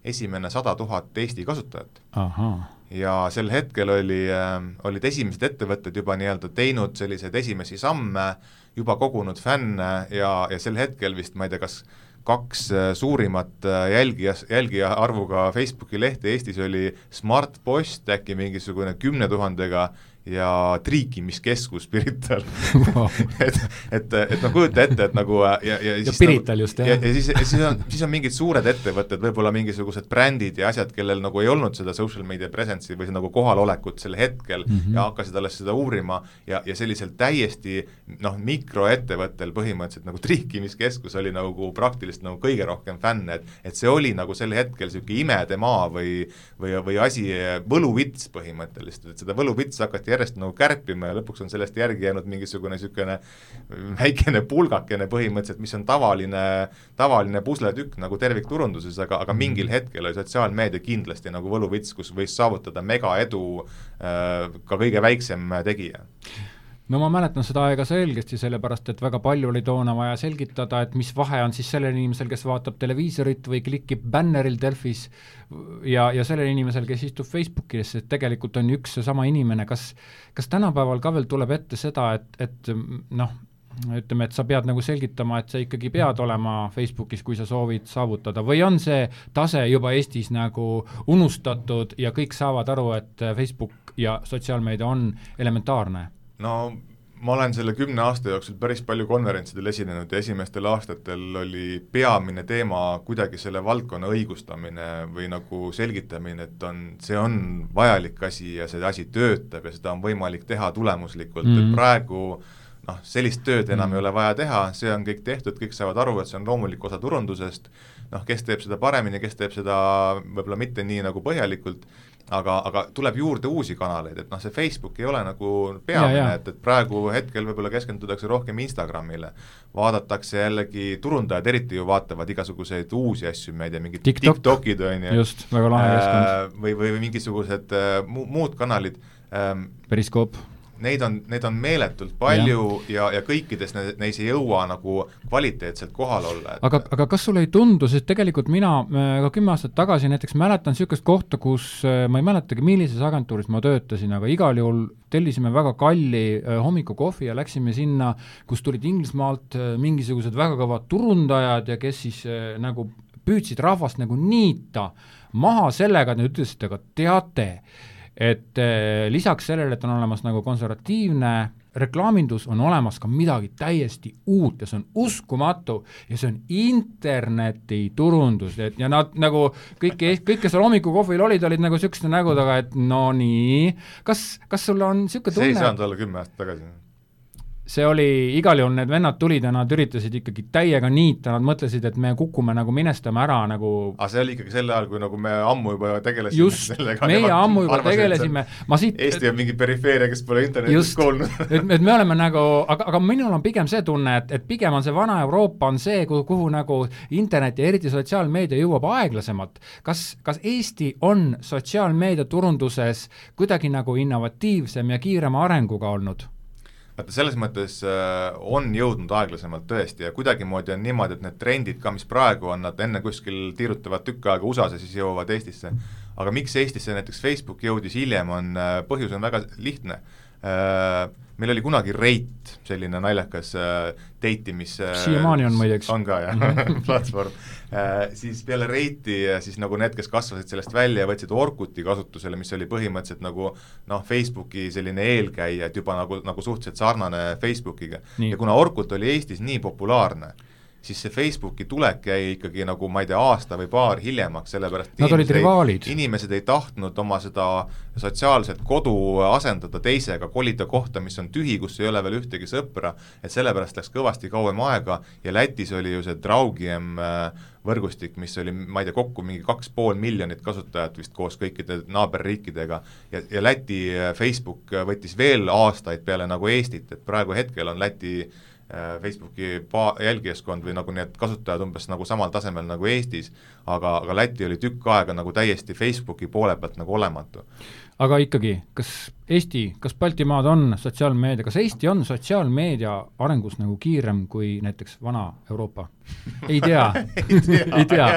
esimene sada tuhat Eesti kasutajat. Aha. Ja sel hetkel oli, olid esimesed ettevõtted juba nii-öelda teinud selliseid esimesi samme, juba kogunud fänne ja, ja sel hetkel vist, ma ei tea, kas kaks suurimat jälgija, jälgija arvuga Facebooki lehte Eestis oli Smart Post äkki mingisugune kümne tuhandega ja triikimiskeskus Pirital wow. et, et, et no kujuta ette, et nagu ja, ja, ja siis, Pirital just, jah. Ja, ja siis, siis, on, siis on mingid suured ettevõtted, võib-olla mingisugused brändid ja asjad, kellel nagu ei olnud seda social media presence'i või nagu kohalolekut sel hetkel mm -hmm. ja hakkasid alles seda uurima ja, ja sellisel täiesti noh, mikroettevõttel põhimõtteliselt nagu triikimiskeskus oli nagu praktiliselt nagu kõige rohkem fänne, et, et see oli nagu sel hetkel siuke imede maa või, või, või asi, võluvits põhimõtteliselt, et seda võluvits hakati järjest nagu kärpima ja lõpuks on sellest järgi jäänud mingisugune niisugune väikene pulgakene põhimõtteliselt, mis on tavaline, tavaline pusletükk nagu tervikturunduses, aga, aga mingil hetkel oli sotsiaalmeedia kindlasti nagu võluvits, kus võis saavutada mega edu äh, ka kõige väiksem tegija. No ma mäletan seda aega selgesti, sellepärast, et väga palju oli toona vaja selgitada, et mis vahe on siis sellel inimesel, kes vaatab televiisorit või klikib bänneril Delfis ja, ja sellel inimesel, kes istub Facebookis, et tegelikult on üks sama inimene. Kas, kas tänapäeval ka veel tuleb ette seda, et, et noh, ütleme, et sa pead nagu selgitama, et sa ikkagi pead olema Facebookis, kui sa soovid saavutada, või on see tase juba Eestis nagu unustatud ja kõik saavad aru, et Facebook ja sotsiaalmeedia on elementaarne? No ma olen selle kümne aasta jooksul päris palju konverentsidel esinenud ja esimestel aastatel oli peamine teema kuidagi selle valdkonna õigustamine või nagu selgitamine, et on, see on vajalik asi ja see asi töötab ja seda on võimalik teha tulemuslikult mm, -hmm. et praegu noh, sellist tööd enam mm. ei ole vaja teha, see on kõik tehtud, kõik saavad aru, et see on loomulik osa turundusest, noh, kes teeb seda paremini, kes teeb seda võib-olla mitte nii nagu põhjalikult, aga, aga tuleb juurde uusi kanaleid, et noh, see Facebook ei ole nagu peamine, et, et praegu hetkel võib-olla keskendutakse rohkem Instagramile, vaadatakse jällegi, turundajad eriti ju vaatavad igasuguseid uusi asju, ma ei tea, mingid TikTok. TikTokid on ju, just, väga lahe keskkond. Või, või mingisugused äh, mu, muud kanalid ähm,. Periskoop. Neid on, neid on meeletult palju ja, ja, ja kõikides ne, neis ei jõua nagu kvaliteetselt kohal olla. Et... Aga, aga kas sulle ei tundu, sest tegelikult mina ka kümme aastat tagasi näiteks mäletan niisugust kohta, kus ma ei mäletagi, millises agentuuris ma töötasin, aga igal juhul tellisime väga kalli hommikukohvi ja läksime sinna, kus tulid Inglismaalt mingisugused väga kõvad turundajad ja kes siis nagu püüdsid rahvast nagu niita maha sellega, et nad ütlesid, aga teate, et eh, lisaks sellele, et on olemas nagu konservatiivne reklaamindus, on olemas ka midagi täiesti uut ja see on uskumatu ja see on internetiturundus, et ja nad nagu kõik, kõik kes seal hommikukohvil olid, olid nagu niisuguste nägudega, et no nii, kas, kas sul on niisugune tunne? See ei saanud olla kümme aastat tagasi. see oli, igal juhul need vennad tulid ja nad üritasid ikkagi täiega niita, nad mõtlesid, et me kukume nagu minestame ära nagu aga see oli ikkagi selle ajal, kui nagu me ammu juba tegelesime just, sellega. meie ammu juba arvasin, tegelesime. Ma siit, Eesti on mingi perifeeria, kes pole internetis kuulnud. et, et me oleme nagu, aga, aga minul on pigem see tunne, et, et pigem on see vana Euroopa on see, kuhu, kuhu nagu internet ja eriti sotsiaalmeedia jõuab aeglasemalt. Kas, kas Eesti on sotsiaalmeedia turunduses kuidagi nagu innovatiivsem ja kiirema arenguga olnud? vaata, selles mõttes äh, on jõudnud aeglasemalt tõesti ja kuidagimoodi on niimoodi, et need trendid ka, mis praegu on, nad enne kuskil tiirutavad tükk aega U S A-s ja siis jõuavad Eestisse. Aga miks Eestisse näiteks Facebook jõudis hiljem, on äh, põhjus on väga lihtne. Äh, meil oli kunagi Rate, selline naljakas äh, deitimis äh, siiamaani on muideks. On ka, jah, platvorm. Äh, siis peale Rate'i, siis nagu need, kes kasvasid sellest välja, võtsid Orkuti kasutusele, mis oli põhimõtteliselt nagu noh, Facebooki selline eelkäija, et juba nagu, nagu suhteliselt sarnane Facebookiga. Nii. Ja kuna Orkut oli Eestis nii populaarne, siis see Facebooki tulek jäi ikkagi nagu, ma ei tea, aasta või paar hiljemaks, sellepärast nad olid rivaalid. Inimesed ei tahtnud oma seda sotsiaalset kodu asendada teisega, kolida kohta, mis on tühi, kus ei ole veel ühtegi sõpra, et sellepärast läks kõvasti kauem aega ja Lätis oli ju see Draugiem võrgustik, mis oli, ma ei tea, kokku mingi kaks pool miljonit kasutajat vist koos kõikide naaberriikidega ja, ja Läti Facebook võttis veel aastaid peale nagu Eestit, et praegu hetkel on Läti Facebooki jälgijaskond või nagu need kasutajad umbes nagu samal tasemel nagu Eestis, aga, aga Läti oli tükk aega nagu täiesti Facebooki poole pealt nagu olematu. Aga ikkagi, kas Eesti, kas Baltimaad on sotsiaalmeedia, kas Eesti on sotsiaalmeedia arengus nagu kiirem kui näiteks vana Euroopa? Ei tea, ei tea, ei tea.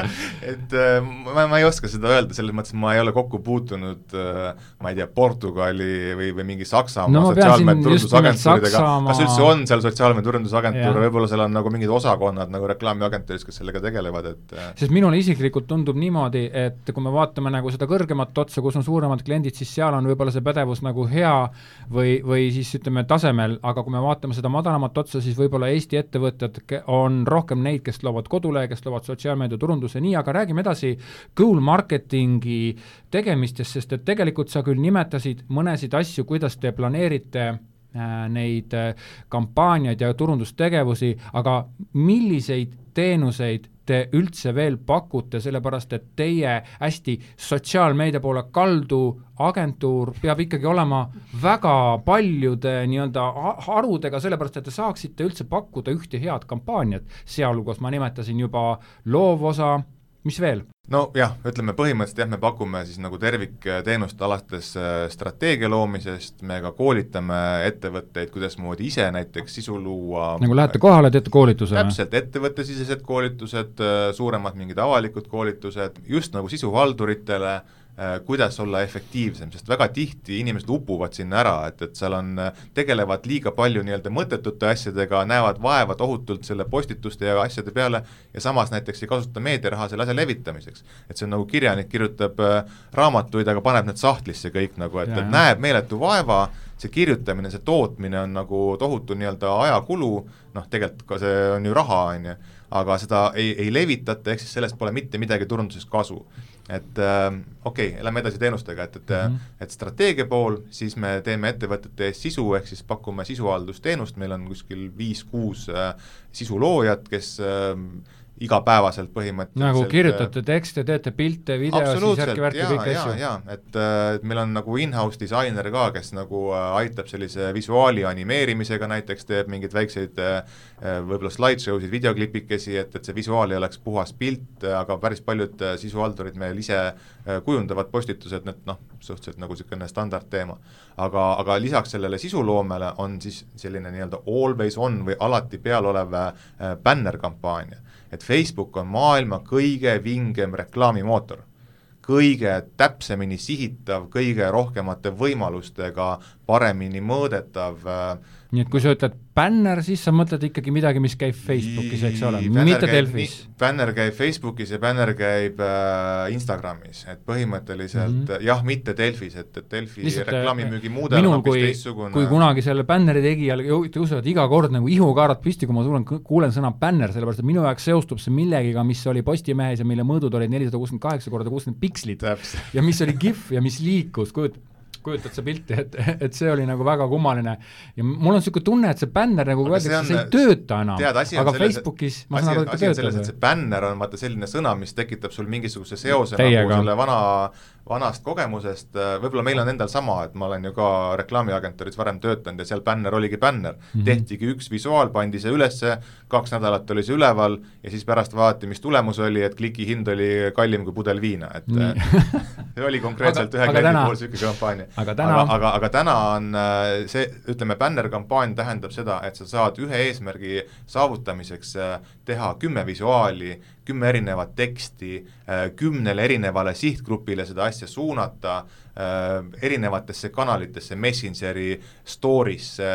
et äh, ma, ma ei oska seda öelda, selles mõttes ma ei ole kokku puutunud äh, ma ei tea, Portugali või, või mingi Saksamaa no, sotsiaalmeeturundusagentuuridega, Saksamaa... kas üldse on seal sotsiaalmeturundusagentuur, võib-olla seal on nagu mingid osakonnad nagu reklaamiagentuuris, kes sellega tegelevad, et äh... sest minule isiklikult tundub niimoodi, et kui me vaatame nagu seda kõrgemat otsa, kus on suuremad kliendid, siis seal on võib-olla see pädevus nagu hea või, või siis ütleme tasemel, aga kui me vaatame seda madalamat otsa, siis võib-olla Eesti ettevõtted on rohkem neid, kes loovad kodule, kes loovad sotsiaalmeedia turunduse, nii, aga räägime edasi goal marketingi tegemistest, sest et tegelikult sa küll nimetasid mõnesid asju, kuidas te planeerite äh, neid äh, kampaaniaid ja turundustegevusi, aga milliseid teenuseid te üldse veel pakute, sellepärast et teie hästi sotsiaalmeedia poole kaldu agentuur peab ikkagi olema väga paljude nii-öelda harudega, sellepärast et te saaksite üldse pakkuda ühte head kampaaniat, sealhulgas ma nimetasin juba loovosa, mis veel? No jah, ütleme põhimõtteliselt jah, me pakume siis nagu tervikteenust alates strateegia loomisest, me ka koolitame ettevõtteid, kuidas moodi ise näiteks sisu luua. Nagu lähete kohale, teete koolituse? Täpselt, ettevõttesisesed koolitused, suuremad mingid avalikud koolitused, just nagu sisuhalduritele, kuidas olla efektiivsem, sest väga tihti inimesed upuvad sinna ära, et, et seal on, tegelevad liiga palju nii-öelda mõttetute asjadega, näevad vaeva tohutult selle postituste ja asjade peale ja samas näiteks ei kasuta meediaraha selle asja levitamiseks. Et see on nagu kirjanik kirjutab raamatuid, aga paneb need sahtlisse kõik nagu, et, et näeb meeletu vaeva, see kirjutamine, see tootmine on nagu tohutu nii-öelda ajakulu, noh tegelikult ka see on ju raha, on ju, aga seda ei, ei levitata, ehk siis sellest pole mitte midagi turunduses kasu. Et äh, okei, okay, lähme edasi teenustega, et, et, mm-hmm. et strateegia pool, siis me teeme ettevõtete ees sisu, ehk siis pakume sisuhaldusteenust, meil on kuskil viis-kuus äh, sisuloojat, kes äh, igapäevaselt põhimõtteliselt nagu kirjutate tekste, teete pilte, video, siis järgi-värki kõik ja, asju. Jaa, et, et meil on nagu in-house disainer ka, kes nagu aitab sellise visuaali animeerimisega näiteks, teeb mingeid väikseid võib-olla slideshow'sid, videoklipikesi, et, et see visuaal ei oleks puhas pilt, aga päris paljud sisuhaldurid meil ise kujundavad postitused, need noh, suhteliselt nagu selline standardteema. Aga, aga lisaks sellele sisuloomele on siis selline nii-öelda always on või alati peal olev banner-kampaania. Et Facebook on maailma kõige vingem reklaamimootor, kõige täpsemini sihitav, kõige rohkemate võimalustega, paremini mõõdetav. Nii et kui sa ütled banner, siis sa mõtled ikkagi midagi, mis käib Facebookis, eks ole, mitte Delfis. Banner käib Facebookis ja banner käib äh, Instagramis, et põhimõtteliselt mm -hmm. jah, mitte Delfis, et, et Delfi lihtsalt, reklaamimüügi muudel on hoopis teissugune. Kui kunagi selle banneri tegijal tõusevad iga kord nagu ihukaarat pisti, kui ma tulen, kuulen sõna banner, sellepärast et minu jaoks seostub see millegiga, mis oli Postimehes ja mille mõõdud olid nelisada kuuskümmend kaheksa korda kuuskümmend pikslit Täpselt. Ja mis oli GIF ja mis liikus, kujut kujutad sa pilti, et, et see oli nagu väga kummaline ja mul on niisugune tunne, et see bänner nagu öeldakse, see ei tööta enam, tead, aga selles, Facebookis ma saan aru, et asi on selles, et see bänner on vaata selline sõna, mis tekitab sul mingisuguse seose Teiega. nagu selle vana vanast kogemusest, võib-olla meil on endal sama, et ma olen ju ka reklaamiagentuuris varem töötanud ja seal bänner oligi bänner, mm-hmm. tehtigi üks visuaal, pandi see ülesse, kaks nädalat oli see üleval ja siis pärast vaadati, mis tulemus oli, et kliki hind oli kallim kui pudel viina, et see oli konkreetselt ühe kliendi puhul siuke kampaania. Aga täna, aga, aga, aga täna on see, ütleme, bänner-kampaania tähendab seda, et sa saad ühe eesmärgi saavutamiseks teha kümme visuaali, kümme erinevat teksti, kümnele erinevale sihtgrupile seda asja suunata, erinevatesse kanalitesse, Messengeri, Storiesse,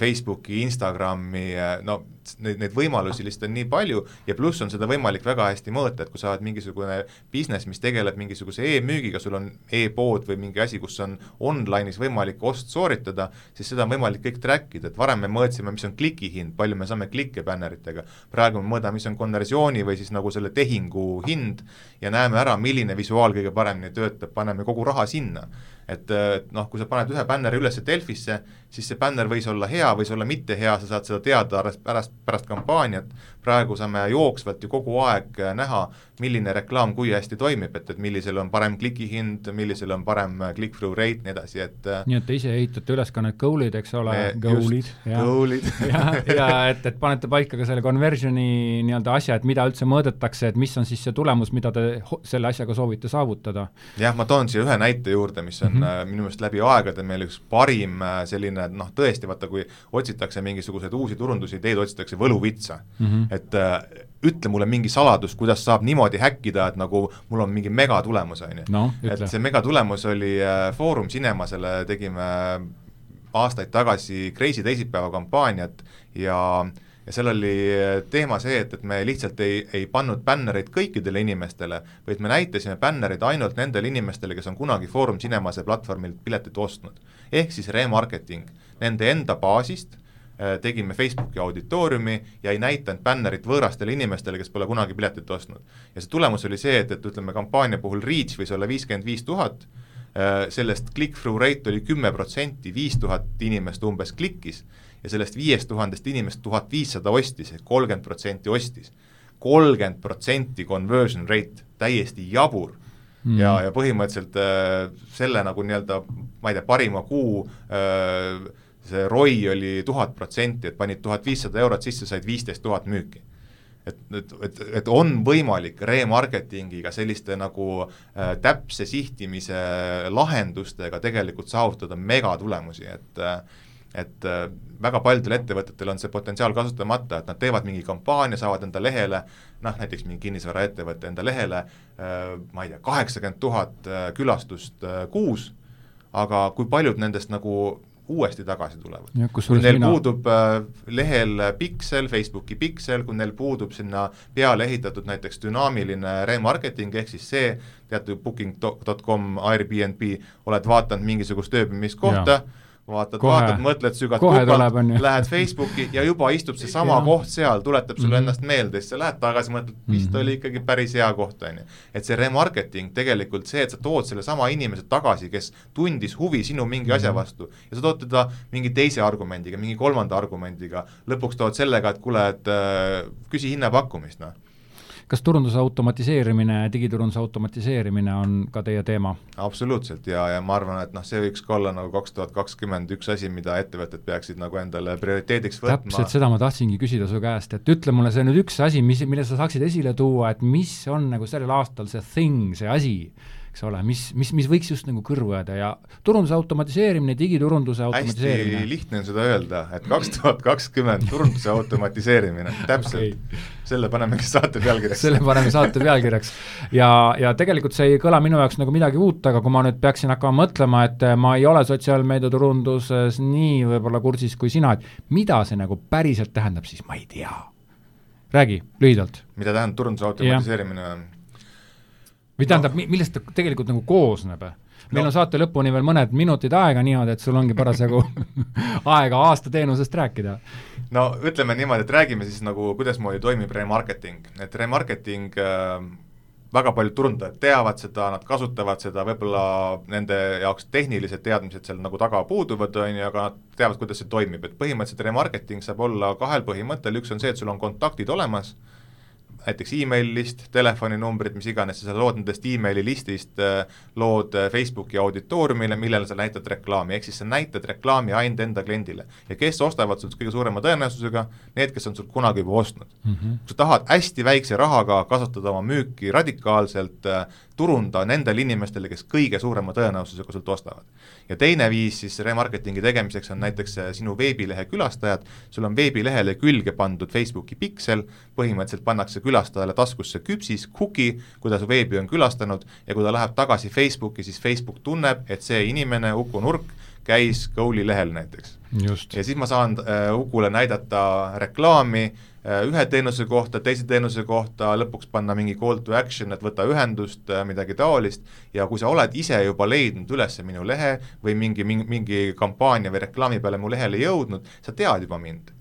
Facebooki, Instagrami, no neid, neid võimalusi lihtsalt on nii palju ja pluss on seda võimalik väga hästi mõõta, et kui sa oled mingisugune business, mis tegeleb mingisuguse e-müügiga, sul on e-pood või mingi asi, kus on online'is võimalik ost sooritada, siis seda on võimalik kõik trackida, et varem me mõõtsime, mis on kliki hind, palju me saame klikke bänneritega, praegu me mõõdame, mis on konversiooni või siis nagu selle tehingu hind ja näeme ära, milline visuaal kõige paremini töötab, paneme kogu raha sinna. Et, et noh, kui sa paned ühe bänneri üles Delfisse, siis see bänner võis olla hea, võis olla mitte hea, sa saad seda teada pärast, pärast kampaaniat, praegu saame jooksvalt ju kogu aeg näha, milline reklaam kui hästi toimib, et, et millisel on parem klikihind, millisel on parem click-through rate, nii edasi, et nii et te ise ehitate üles ka need goal'id, eks ole, goal'id, ja, goal'id. ja, ja et, et panete paika ka selle conversioni nii-öelda asja, et mida üldse mõõdetakse, et mis on siis see tulemus, mida te selle asjaga soovite saavutada. Jah, ma toon siia ühe näite juurde, mis on mm-hmm. minu meelest läbi aegade meil üks parim selline, noh tõesti, vaata kui otsitakse mingisuguseid uusi turundusideed, otsitakse võluvitsa, mm-hmm. et äh, ütle mulle mingi saladus, kuidas saab niimoodi häkkida, et nagu mul on mingi megatulemus, on ju. No, et see megatulemus oli äh, Foorum Cinemasele, tegime aastaid tagasi Crazy teisipäeva kampaaniat ja ja seal oli teema see, et, et me lihtsalt ei, ei pannud bännereid kõikidele inimestele, vaid me näitasime bännereid ainult nendele inimestele, kes on kunagi Foorum Cinemase platvormilt piletit ostnud. Ehk siis remarketing nende enda baasist, tegime Facebooki auditooriumi ja ei näitanud bännerit võõrastele inimestele, kes pole kunagi piletit ostnud. Ja see tulemus oli see, et, et ütleme kampaania puhul reach võis olla viiskümmend viis tuhat, sellest click-through rate oli kümme protsenti, viis tuhat inimest umbes klikkis ja sellest viiest tuhandest inimest tuhat viissada ostis, et kolmkümmend protsenti ostis. kolmkümmend protsenti conversion rate, täiesti jabur. Mm. Ja, ja põhimõtteliselt äh, selle nagu nii-öelda, ma ei tea, parima kuu äh, see R O I oli tuhat protsenti, et panid tuhat viissada eurot sisse, said viisteist tuhat müüki. Et, et, et, et on võimalik remarketingiga selliste nagu äh, täpse sihtimise lahendustega tegelikult saavutada megatulemusi, et äh, et äh, väga paljudel ettevõtetel on see potentsiaal kasutamata, et nad teevad mingi kampaania, saavad enda lehele, noh näiteks mingi kinnisvara ettevõtte enda lehele, äh, ma ei tea, kaheksakümmend tuhat äh, külastust äh, kuus, aga kui paljud nendest nagu uuesti tagasi tulevad. Kui neil mina... puudub äh, lehel piksel, Facebooki piksel, kui neil puudub sinna peale ehitatud näiteks dünaamiline remarketing, ehk siis see, teatud booking dot com, Airbnb, oled vaatanud mingisugust ööbimiskohta, vaatad, kohe, vaatad, mõtled sügad kupalt, lähed Facebooki ja juba istub see sama koht seal, tuletab sulle mm-hmm. ennast meelde, siis sa lähed tagasi, mõtled, vist mm-hmm. oli ikkagi päris hea koht, on ju. Et see remarketing tegelikult see, et sa tood selle sama inimese tagasi, kes tundis huvi sinu mingi mm-hmm. asja vastu ja sa tood teda mingi teise argumendiga, mingi kolmanda argumendiga, lõpuks tood sellega, et kuule, et äh, küsi hinnapakkumist, noh. Kas turunduse automatiseerimine, digiturunduse automatiseerimine on ka teie teema? Absoluutselt ja, ja ma arvan, et noh, see võiks ka olla nagu kaks tuhat kakskümmend üks asi, mida ettevõtted peaksid nagu endale prioriteediks võtma. Täpselt seda ma tahtsingi küsida su käest, et ütle mulle see nüüd üks asi, mis, mille sa saaksid esile tuua, et mis on nagu sellel aastal see thing, see asi, eks ole, mis, mis, mis võiks just nagu kõrvu jääda ja turunduse automatiseerimine, digiturunduse automatiseerimine. Hästi lihtne on seda öelda, et kaks tuhat kakskümmend turunduse automatiseerimine, täpselt, okay. Selle panemegi saate pealkirjaks. Selle paneme saate pealkirjaks ja, ja tegelikult see ei kõla minu jaoks nagu midagi uut, aga kui ma nüüd peaksin hakkama mõtlema, et ma ei ole sotsiaalmeedia turunduses nii võib-olla kursis kui sina, et mida see nagu päriselt tähendab, siis ma ei tea. Räägi, lühidalt. Mida tähendab turunduse automatiseerimine? Või tähendab, millest ta tegelikult nagu koosneb? Meil no. on saate lõpuni veel mõned minutid aega niimoodi, et sul ongi parasjagu aega aasta teenusest rääkida. No ütleme niimoodi, et räägime siis nagu, kuidas moodi toimib remarketing. Et remarketing äh, väga paljud turundajad teavad seda, nad kasutavad seda, võib-olla nende jaoks tehnilised teadmised seal nagu taga puuduvad, on ju, aga nad teavad, kuidas see toimib, et põhimõtteliselt remarketing saab olla kahel põhimõttel, üks on see, et sul on kontaktid olemas, näiteks email list, telefoninumbrid, mis iganes, sa lood nendest emaili listist, lood Facebooki auditooriumile, millele sa näitad reklaami, ehk siis sa näitad reklaami ainult enda kliendile. Ja kes ostavad sult kõige suurema tõenäosusega, need, kes on sult kunagi juba ostnud. Mm -hmm. Kui sa tahad hästi väikse rahaga kasutada oma müüki radikaalselt, turunda nendele inimestele, kes kõige suurema tõenäosusega sult ostavad. Ja teine viis siis remarketingi tegemiseks on näiteks sinu veebilehe külastajad, sul on veebilehele külge pandud Facebooki piksel, põhimõtteliselt pannakse külastajale taskusse küpsis, cookie, kui ta su veebi on külastanud ja kui ta läheb tagasi Facebooki, siis Facebook tunneb, et see inimene, Uku Nurk, käis Goal'i lehel näiteks. Just. Ja siis ma saan äh, Ukule näidata reklaami äh, ühe teenuse kohta, teise teenuse kohta, lõpuks panna mingi call to action, et võta ühendust äh,, midagi taolist, ja kui sa oled ise juba leidnud üles minu lehe või mingi, mingi, mingi kampaania või reklaami peale mu lehele jõudnud, sa tead juba mind.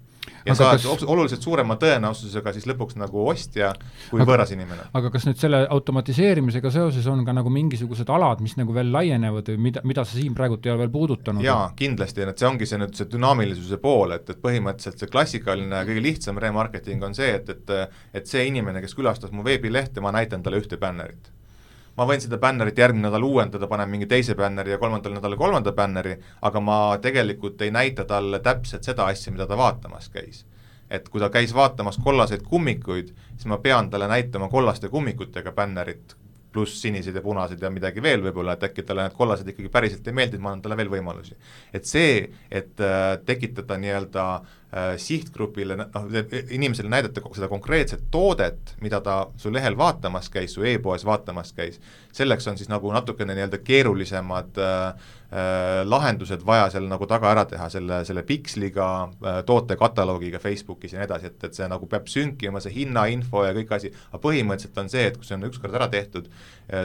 Ja aga sa kas... oluliselt suurema tõenäosusega siis lõpuks nagu ostja kui aga, võõras inimene. Aga kas nüüd selle automatiseerimisega seoses on ka nagu mingisugused alad, mis nagu veel laienevad või mida, mida sa siin praegult ei ole veel puudutanud? Jaa, kindlasti, et see ongi see nüüd see dünaamilisuse pool, et, et põhimõtteliselt see klassikaline, kõige lihtsam remarketing on see, et, et, et see inimene, kes külastas mu veebilehte, ma näitan talle ühte bännerit. Ma võin seda bännerit järgmine nädal uuendada, panen mingi teise bänneri ja kolmandal nädal kolmanda bänneri, aga ma tegelikult ei näita talle täpselt seda asja, mida ta vaatamas käis. Et kui ta käis vaatamas kollaseid kummikuid, siis ma pean talle näitama kollaste kummikutega bännerit, pluss sinised ja punased ja midagi veel võib-olla, et äkki talle need kollased ikkagi päriselt ei meeldi, ma annan talle veel võimalusi. Et see, et äh, tekitada nii-öelda äh, sihtgrupile, noh, inimesele näidata seda konkreetset toodet, mida ta su lehel vaatamas käis, su e-poes vaatamas käis, selleks on siis nagu natukene nii-öelda keerulisemad äh, äh, lahendused vaja seal nagu taga ära teha, selle, selle piksliga, äh, tootekatalogiga Facebookis ja nii edasi, et, et see nagu peab sünkima, see hinnainfo ja kõik asi, aga põhimõtteliselt on see, et kui see on ükskord ära tehtud,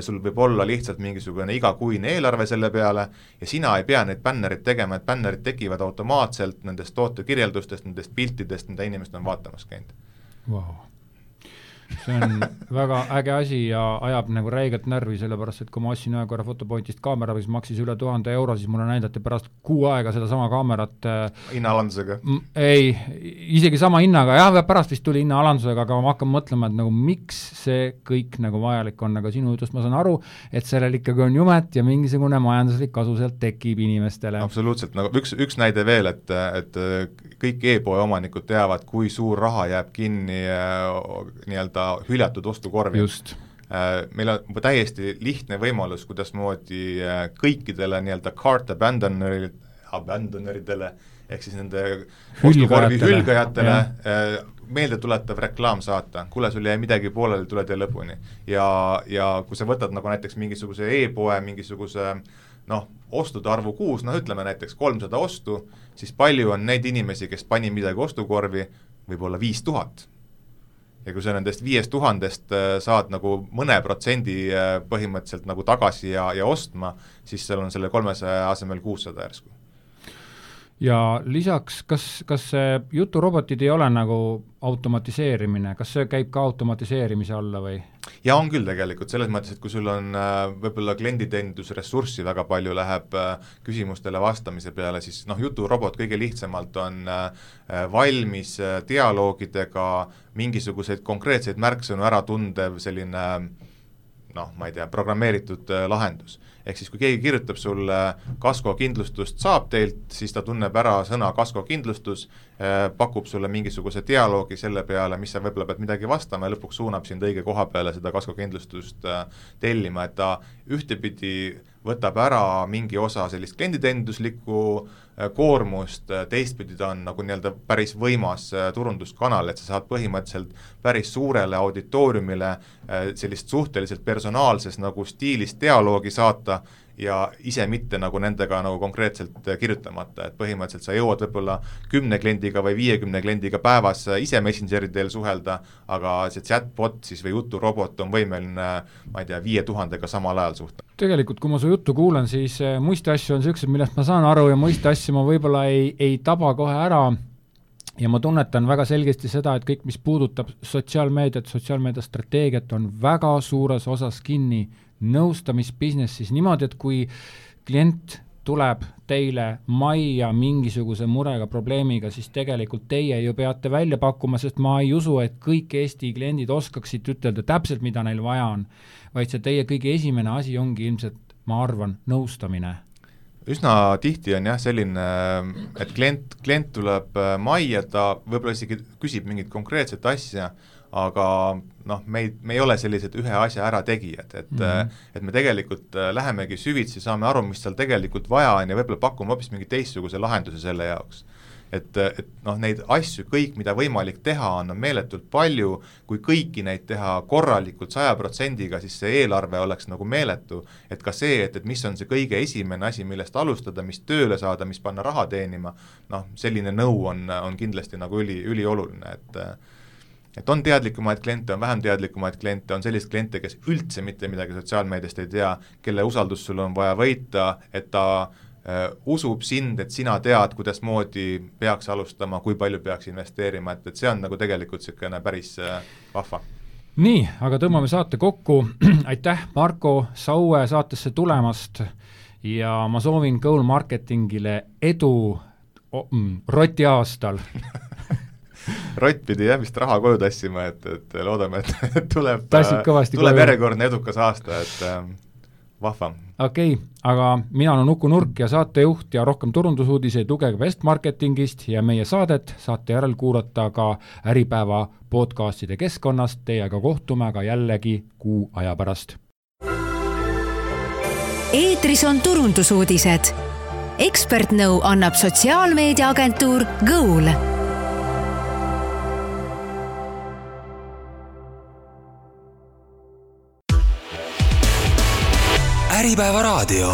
sul võib olla lihtsalt mingisugune igakuine eelarve selle peale ja sina ei pea neid bännerid tegema, et bännerid tekivad automaatselt nendest tootekirjeldustest, nendest piltidest, mida inimesed on vaatamas käinud. Wow. See on väga äge asi ja ajab nagu räigelt närvi, sellepärast, et kui ma ostsin ühe korra Fotopointist kaamera, mis maksis üle tuhande euro, siis mulle näidati pärast kuu aega seda sama kaamerat hinnaalandusega? Ei, isegi sama hinnaga, jah, pärast vist tuli hinnaalandusega, aga ma hakkan mõtlema, et nagu miks see kõik nagu vajalik on, aga sinu jutust ma saan aru, et sellel ikkagi on jumet ja mingisugune majanduslik kasu sealt tekib inimestele. Absoluutselt, nagu üks, üks näide veel, et, et kõik e-poe omanikud teavad, kui suur raha jääb kinni nii-öelda hüljatud ostukorvi. Just. Meil on täiesti lihtne võimalus, kuidas moodi kõikidele nii-öelda cart abandonerid, abandoneridele ehk siis nende ostukorvi hülgajatele ja. meelde tuletav reklaam saata, kuule sul jäi midagi pooleli, tule tee lõpuni. Ja, ja kui sa võtad nagu näiteks mingisuguse e-poe, mingisuguse noh, ostude arvu kuus, noh ütleme näiteks kolmsada ostu, siis palju on neid inimesi, kes pani midagi ostukorvi, võib-olla viis tuhat. Ja kui sa nendest viiest tuhandest saad nagu mõne protsendi põhimõtteliselt nagu tagasi ja, ja ostma, siis seal on selle kolmesaja asemel kuussada järsku. Ja lisaks, kas, kas see juturobotid ei ole nagu automatiseerimine, kas see käib ka automatiseerimise alla või? Ja on küll tegelikult, selles mõttes, et kui sul on võib-olla klienditeenindusressurssi väga palju läheb küsimustele vastamise peale, siis noh, juturobot kõige lihtsamalt on valmis dialoogidega mingisuguseid konkreetseid märksõnu ära tundev selline noh, ma ei tea, programmeeritud lahendus. Ehk siis kui keegi kirjutab sulle kaskokindlustust saab teilt, siis ta tunneb ära sõna kaskokindlustus, pakub sulle mingisuguse dialoogi selle peale, mis sa võib-olla pead midagi vastama ja lõpuks suunab sind õige koha peale seda kaskokindlustust tellima, et ta ühtepidi võtab ära mingi osa sellist klienditeeninduslikku koormust, teistpidi ta on nagu nii-öelda päris võimas turunduskanal, et sa saad põhimõtteliselt päris suurele auditooriumile sellist suhteliselt personaalses nagu stiilis dialoogi saata ja ise mitte nagu nendega nagu konkreetselt kirjutamata, et põhimõtteliselt sa jõuad võib-olla kümne kliendiga või viiekümne kliendiga päevas ise Messengeri teel suhelda, aga see chatbot siis või juturobot on võimeline, ma ei tea, viie tuhandega samal ajal suhta. Tegelikult, kui ma su juttu kuulen, siis muiste asju on sellised, millest ma saan aru ja muiste asju ma võib-olla ei, ei taba kohe ära ja ma tunnetan väga selgesti seda, et kõik, mis puudutab sotsiaalmeediat, sotsiaalmeedia strateegiat, on väga suures osas kinni nõustamisbusinessis niimoodi, et kui klient tuleb teile majja mingisuguse murega, probleemiga, siis tegelikult teie ju peate välja pakkuma, sest ma ei usu, et kõik Eesti kliendid oskaksid ütelda täpselt, mida neil vaja on, vaid see teie kõige esimene asi ongi ilmselt, ma arvan, nõustamine. Üsna tihti on jah selline, et klient, klient tuleb majja, ta võib-olla isegi küsib mingit konkreetset asja, aga noh, me ei, me ei ole sellised ühe asja ära tegijad, et mm-hmm. et me tegelikult lähemegi süvitsi, saame aru, mis seal tegelikult vaja on ja võib-olla pakume hoopis mingi teistsuguse lahenduse selle jaoks. Et, et noh, neid asju, kõik, mida võimalik teha, on meeletult palju, kui kõiki neid teha korralikult saja protsendiga, siis see eelarve oleks nagu meeletu, et ka see, et, et mis on see kõige esimene asi, millest alustada, mis tööle saada, mis panna raha teenima, noh, selline nõu on, on kindlasti nagu üli, ülioluline, et et on teadlikumaid kliente, on vähem teadlikumaid kliente, on sellist kliente, kes üldse mitte midagi sotsiaalmeediast ei tea, kelle usaldus sul on vaja võita, et ta äh, usub sind, et sina tead, kuidas moodi peaks alustama, kui palju peaks investeerima, et, et see on nagu tegelikult selline päris äh, vahva. Nii, aga tõmbame saate kokku. Aitäh, Marko Saue saatesse tulemast ja ma soovin Goal Marketingile edu oh, mm, roti aastal. Rott pidi jah vist raha koju tassima, et, et loodame, et tuleb, tuleb koju. järjekordne edukas aasta, et äh, vahva. Okei, okay, aga mina olen Uku Nurk ja saatejuht ja rohkem turundusuudiseid lugege West Marketingist ja meie saadet saate järel kuulata ka Äripäeva podcastide keskkonnast, teiega kohtume aga jällegi kuu aja pärast. Eetris on turundusuudised. Ekspertnõu annab sotsiaalmeediaagentuur Goal. Äripäeva raadio.